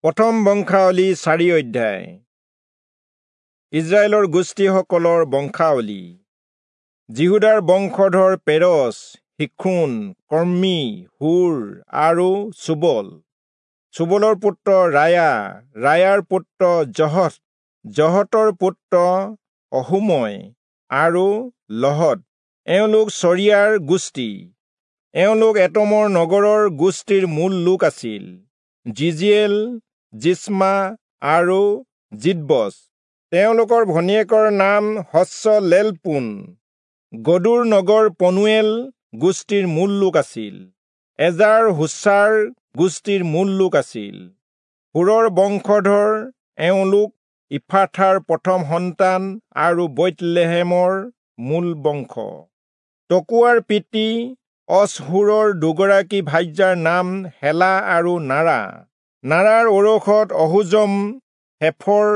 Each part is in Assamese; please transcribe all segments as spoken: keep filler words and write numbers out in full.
প্ৰথম বংশাৱলী চাৰি অধ্যায়। ইজৰাইলৰ গোষ্ঠীসকলৰ বংশাৱলী। যিহূদাৰ বংশধৰ পেৰচ, হিক্ৰোন, কৰ্মী, হূৰ আৰু চোবল। চোবলৰ পুত্ৰ ৰায়া, ৰায়াৰ পুত্ৰ জহত, জহতৰ পুত্ৰ অহূময় আৰু লহদ। এওঁলোক চৰিয়াৰ গোষ্ঠী। এওঁলোক এটমৰ নগৰৰ গোষ্ঠীৰ মূল লোক আছিল। জিজিয়েল, জিষ্মা আৰু যিদ্বচ। তেওঁলোকৰ ভনীয়েকৰ নাম হচ্চলেলপোন। গদোৰ নগৰ পনুৱেল গোষ্ঠীৰ মূল লোক আছিল। এজাৰ হুচাৰ গোষ্ঠীৰ মূল লোক আছিল। হূৰৰ বংশধৰ এওঁলোক ইফ্ৰাথাৰ প্ৰথম সন্তান আৰু বৈৎলেহেমৰ মূল বংশ। তকোৱাৰ পিতৃ অচহূৰৰ দুগৰাকী ভাৰ্যাৰ নাম হেলা আৰু নাৰা। নাৰাৰ ঔৰসত অহুজম, হেফৰ,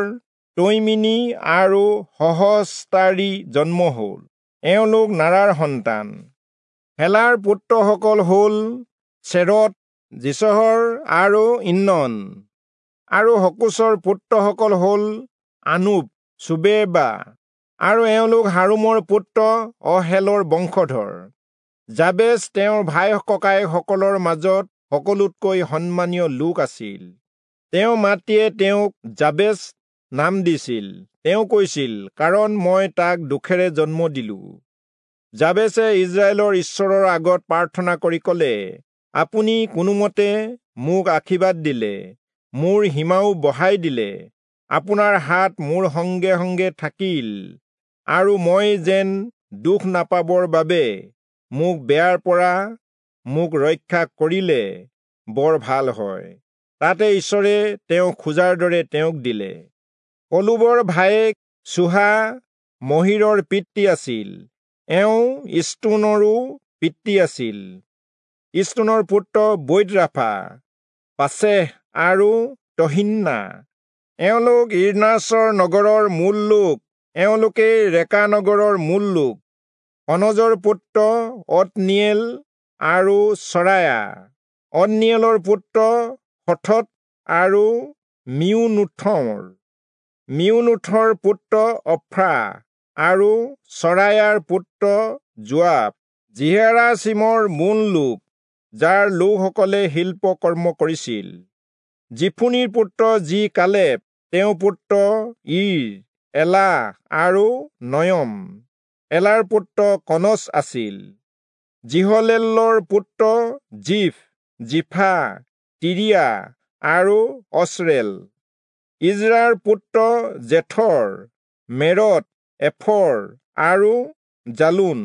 তৈমিনী আৰু সহস্তাৰী জন্ম হ'ল। এওঁলোক নাৰাৰ সন্তান। হেলাৰ পুত্ৰসকল হ'ল চেৰৎ, যিচহৰ আৰু ইন্নন। আৰু হকোচৰ পুত্ৰসকল হ'ল আনুব, চোবেবা আৰু এওঁলোক হাৰুমৰ পুত্ৰ অহেলৰ বংশধৰ। যাবেচ তেওঁৰ ভাই ককায়েকসকলৰ মাজত সকলোতকৈ সন্মানীয় লোক আছিল। তেওঁৰ মাতৃয়ে তেওঁক যাবেচ নাম দিছিল। তেওঁ কৈছিল, কাৰণ মই তাক দুখেৰে জন্ম দিলো। যাবেচে ইজৰাইলৰ ঈশ্বৰৰ আগত প্ৰাৰ্থনা কৰি ক'লে, আপুনি কোনোমতে মোক আশীৰ্বাদ দিলে, মোৰ সীমাও বঢ়াই দিলে, আপোনাৰ হাত মোৰ সংগে সংগে থাকিল, আৰু মই যেন দুখ নাপাবৰ বাবে মোক বেয়াৰ পৰা মোক ৰক্ষা কৰিলে বৰ ভাল হয়। তাতে ঈশ্বৰে তেওঁ খোজাৰ দৰে তেওঁক দিলে। কলুবৰ ভায়েক চুহা মহীৰৰ পিতৃ আছিল। এওঁ ইষ্টোনৰো পিতৃ আছিল। ইষ্টোনৰ পুত্ৰ বৈৎৰাফা, পাচেহ আৰু তহিন্না। এওঁলোক ইৰ্নাচৰ নগৰৰ মূল লোক। এওঁলোকেই ৰেকা নগৰৰ মূল লোক। কনজৰ পুত্ৰ অতনিয়েল আৰু চৰায়া। অতনিয়েলৰ পুত্ৰ হথত আৰু মিউনোথৰ। মিউনোথৰ পুত্ৰ অফ্ৰা আৰু চৰায়াৰ পুত্ৰ যোৱাব। যিহেৰাচীমৰ মূল লোক, যাৰ লোকসকলে শিল্পকৰ্ম কৰিছিল। যিফুনিৰ পুত্ৰ যি কালেব, তেওঁৰ পুত্ৰ ইৰ, এলা আৰু নয়ম। এলাৰ পুত্ৰ কনচ আছিল। যিহলেলৰ পুত্ৰ জিফ, জিফা, তিৰিয়া আৰু অচৰেল। ইজ্ৰাৰ পুত্ৰ জেথৰ, মেৰৎ, এফৰ আৰু জালোন।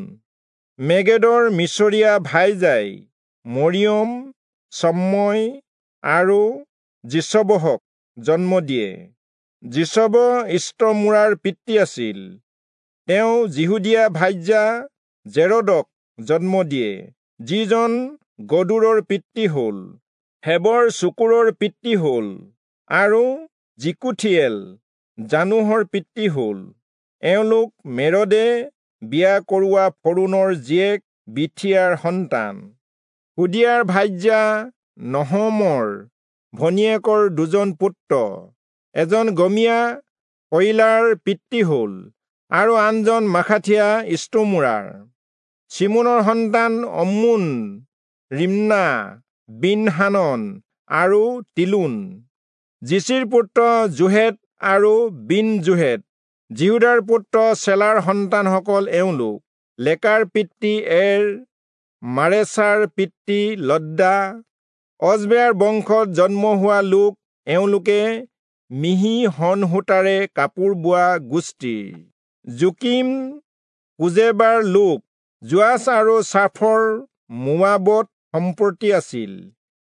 মেগেদৰ মিচৰীয়া ভাইজাই মৰিয়ম, চম্ময় আৰু যিচবহক জন্ম দিয়ে। যিচব ইষ্টমোৰাৰ পিতৃ আছিল। তেওঁ যিহুদীয়া ভাৰ্যা জেৰদক জন্ম দিয়ে, যিজন গদোৰৰ পিতৃ হ'ল। হেবৰ চুকুৰৰ পিতৃ হ'ল আৰু যিকুথিয়েল জানোহৰ পিতৃ হ'ল। এওঁলোক মেৰদে বিয়া কৰোৱা ফৰোণৰ জীয়েক বিথিয়াৰ সন্তান। হোদিয়াৰ ভাৰ্যা নহমৰ ভনীয়েকৰ দুজন পুত্ৰ, এজন গমীয়া কয়িলাৰ পিতৃ হ'ল আৰু আনজন মাখাথীয়া ইষ্টমোৰাৰ। চিমোনৰ সন্তান অম্মোন, ৰিম্না, বিনহানন আৰু তিলোন। যিচিৰ পুত্ৰ যোহেদ আৰু বিন যোহেদ। যিহূদাৰ পুত্ৰ চেলাৰ সন্তানসকল এওঁলোক: লেকাৰ পিতৃ এৰ, মাৰেচাৰ পিতৃ লদ্দা। অজবেয়াৰ বংশত জন্ম হোৱা লোক এওঁলোকে মিহি শণসূতাৰে কাপোৰ বোৱা গোষ্ঠীৰ। যোকীম কোজেবাৰ লোক। যোৱাচ আৰু চাফৰ মোৱাবত সম্পত্তি আছিল,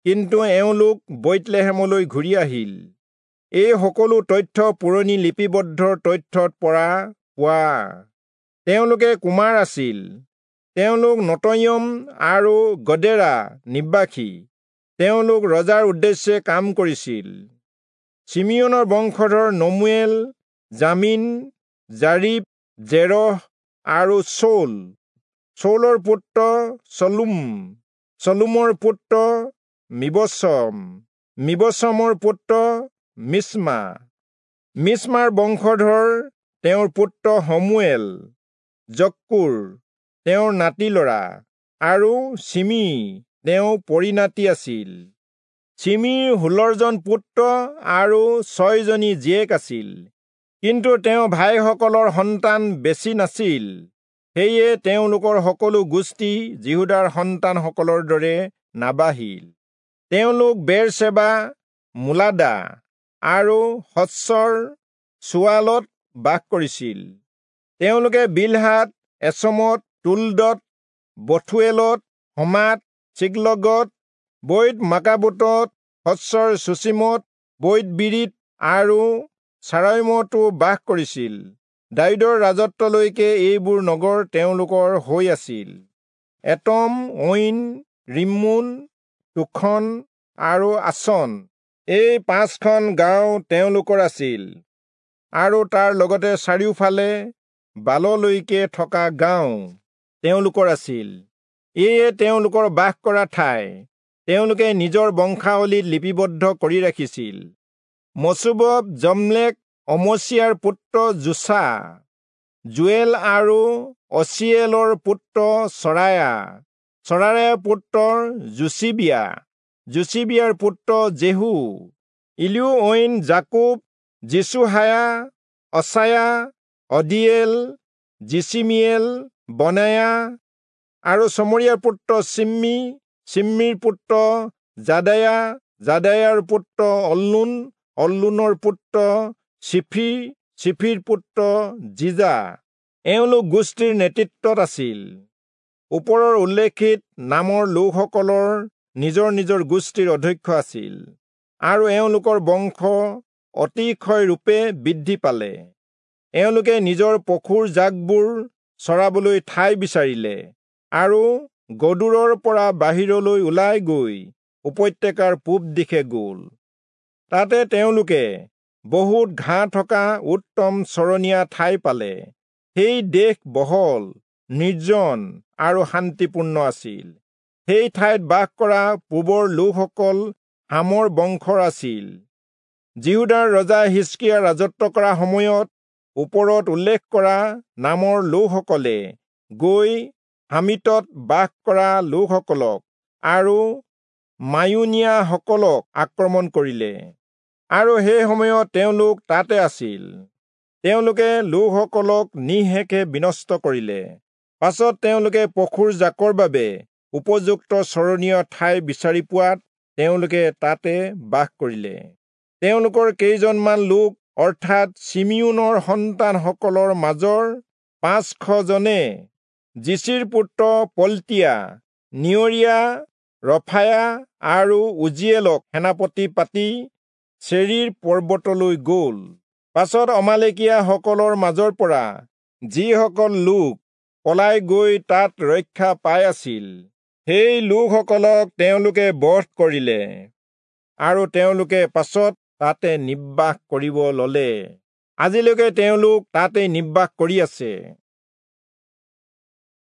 কিন্তু এওঁলোক বৈৎলেহেমলৈ ঘূৰি আহিল। এই সকলো তথ্য পুৰণি লিপিবদ্ধ তথ্যত পৰা পোৱা। তেওঁলোকে কুমাৰ আছিল। তেওঁলোক নতয়ম আৰু গদেৰা নিবাসী। তেওঁলোক ৰজাৰ উদ্দেশ্যে কাম কৰিছিল। চিমিয়োনৰ বংশধৰ নমুৱেল, জামিন, জাৰিব, জেৰহ আৰু চৌল। চৌলৰ পুত্ৰ চলুম, চলুমৰ পুত্ৰ মিবচম। মিবচমৰ পুত্ৰ মিশ্মা। মিশ্মাৰ বংশধৰ তেওঁৰ পুত্ৰ শমূৱেল, জক্কুৰ তেওঁৰ নাতি লৰা আৰু চিমি তেওঁ পৰিনাতি আছিল। চিমিৰ ষোল্লজন পুত্ৰ আৰু ছয়জনী জীয়েক আছিল, কিন্তু তেওঁ ভাইসকলৰ সন্তান বেছি নাছিল। সেয়ে তেওঁলোকৰ সকলো গোষ্ঠী যিহূদাৰ সন্তানসকলৰ দৰে নাবাঢ়িল। তেওঁলোক বেৰচেবা, মোলাদা আৰু হচ্চৰ চুৱালত বাস কৰিছিল। তেওঁলোকে বিলহাত, এচমত, তুলদত, বথুৱেলত, হমাত, চিকলগত, বৈত মাকাবোটত, হচ্চৰ চুচিমত, বৈত বিৰিত আৰু চাৰাইমতো বাস কৰিছিল। দায়ূদৰ ৰাজত্বলৈকে এইবোৰ নগৰ তেওঁলোকৰ হৈ আছিল। এটম, ঐন, ৰিম্মোন, তোখন আৰু আচন এই পাঁচখন গাঁও তেওঁলোকৰ আছিল, আৰু তাৰ লগতে চাৰিওফালে বাললৈকে থকা গাঁও তেওঁলোকৰ আছিল। এয়ে তেওঁলোকৰ বাস কৰা ঠাই। তেওঁলোকে নিজৰ বংশাৱলীত লিপিবদ্ধ কৰি ৰাখিছিল। মচুবব, জমলেক, অমচিয়াৰ পুত্ৰ যোচা, জোৱেল আৰু অচিয়েলৰ পুত্ৰ চৰায়া, চৰায়াৰ পুত্ৰ যোচিবিয়া, যোচিবিয়াৰ পুত্ৰ জেহু, ইলিও ঐন, যাকোব, যিচুহায়া, অচায়া, অদিয়েল, যিচিমিয়েল, বনায়া আৰু চমৰীয়াৰ পুত্ৰ চিম্মি, চিম্মিৰ পুত্ৰ যাদায়া, যাদায়াৰ পুত্ৰ অল্লোন, অল্লোনৰ পুত্ৰ চিফি, চিফিৰ পুত্ৰ জিজা। এওঁলোক গোষ্ঠীৰ নেতৃত্বত আছিল। ওপৰৰ উল্লেখিত নামৰ লোকসকলৰ নিজৰ নিজৰ গোষ্ঠীৰ অধ্যক্ষ আছিল, আৰু এওঁলোকৰ বংশ অতিশয়ৰূপে বৃদ্ধি পালে। এওঁলোকে নিজৰ পশুৰ জাকবোৰ চৰাবলৈ ঠাই বিচাৰিলে আৰু গদোৰৰ পৰা বাহিৰলৈ ওলাই গৈ উপত্যকাৰ পূব দিশে গ'ল। তাতে তেওঁলোকে বহুত ঘাঁহ থকা উত্তম চৰণীয়া ঠাই পালে। সেই দেশ বহল, নিৰ্জন আৰু শান্তিপূৰ্ণ আছিল। সেই ঠাইত বাস কৰা পূবৰ লোকসকল হামৰ বংশৰ আছিল। যিহূদাৰ ৰজা হিষ্কিয়া ৰাজত্ব কৰা সময়ত ওপৰত উল্লেখ কৰা নামৰ লোকসকলে গৈ হামিতত বাস কৰা লোকসকলক আৰু মায়ুনিয়াসকলক আক্ৰমণ কৰিলে, আৰু সেই সময়ত তেওঁলোক তাতে আছিল। তেওঁলোকে লোকসকলক নিঃশেষে বিনষ্ট কৰিলে। পাছত তেওঁলোকে পশুৰ জাকৰ বাবে উপযুক্ত চৰণীয় ঠাই বিচাৰি পোৱাত তেওঁলোকে তাতে বাস কৰিলে। তেওঁলোকৰ কেইজনমান লোক, অৰ্থাৎ চিমিয়োনৰ সন্তানসকলৰ মাজৰ পাঁচশজনে যিচিৰ পুত্ৰ পলতীয়া, নিয়ৰীয়া, ৰফায়া আৰু উজিয়েলক সেনাপতি পাতি চেৰীৰ পৰ্বতলৈ গ'ল। পাছত অমালেকীয়াসকলৰ মাজৰ পৰা যিসকল লোক পলাই গৈ তাত ৰক্ষা পাই আছিল, সেই লোকসকলক তেওঁলোকে বধ কৰিলে, আৰু তেওঁলোকে পাছত তাতে নিবাস কৰিব ললে। আজিলৈকে তেওঁলোক তাতে নিবাস কৰি আছে।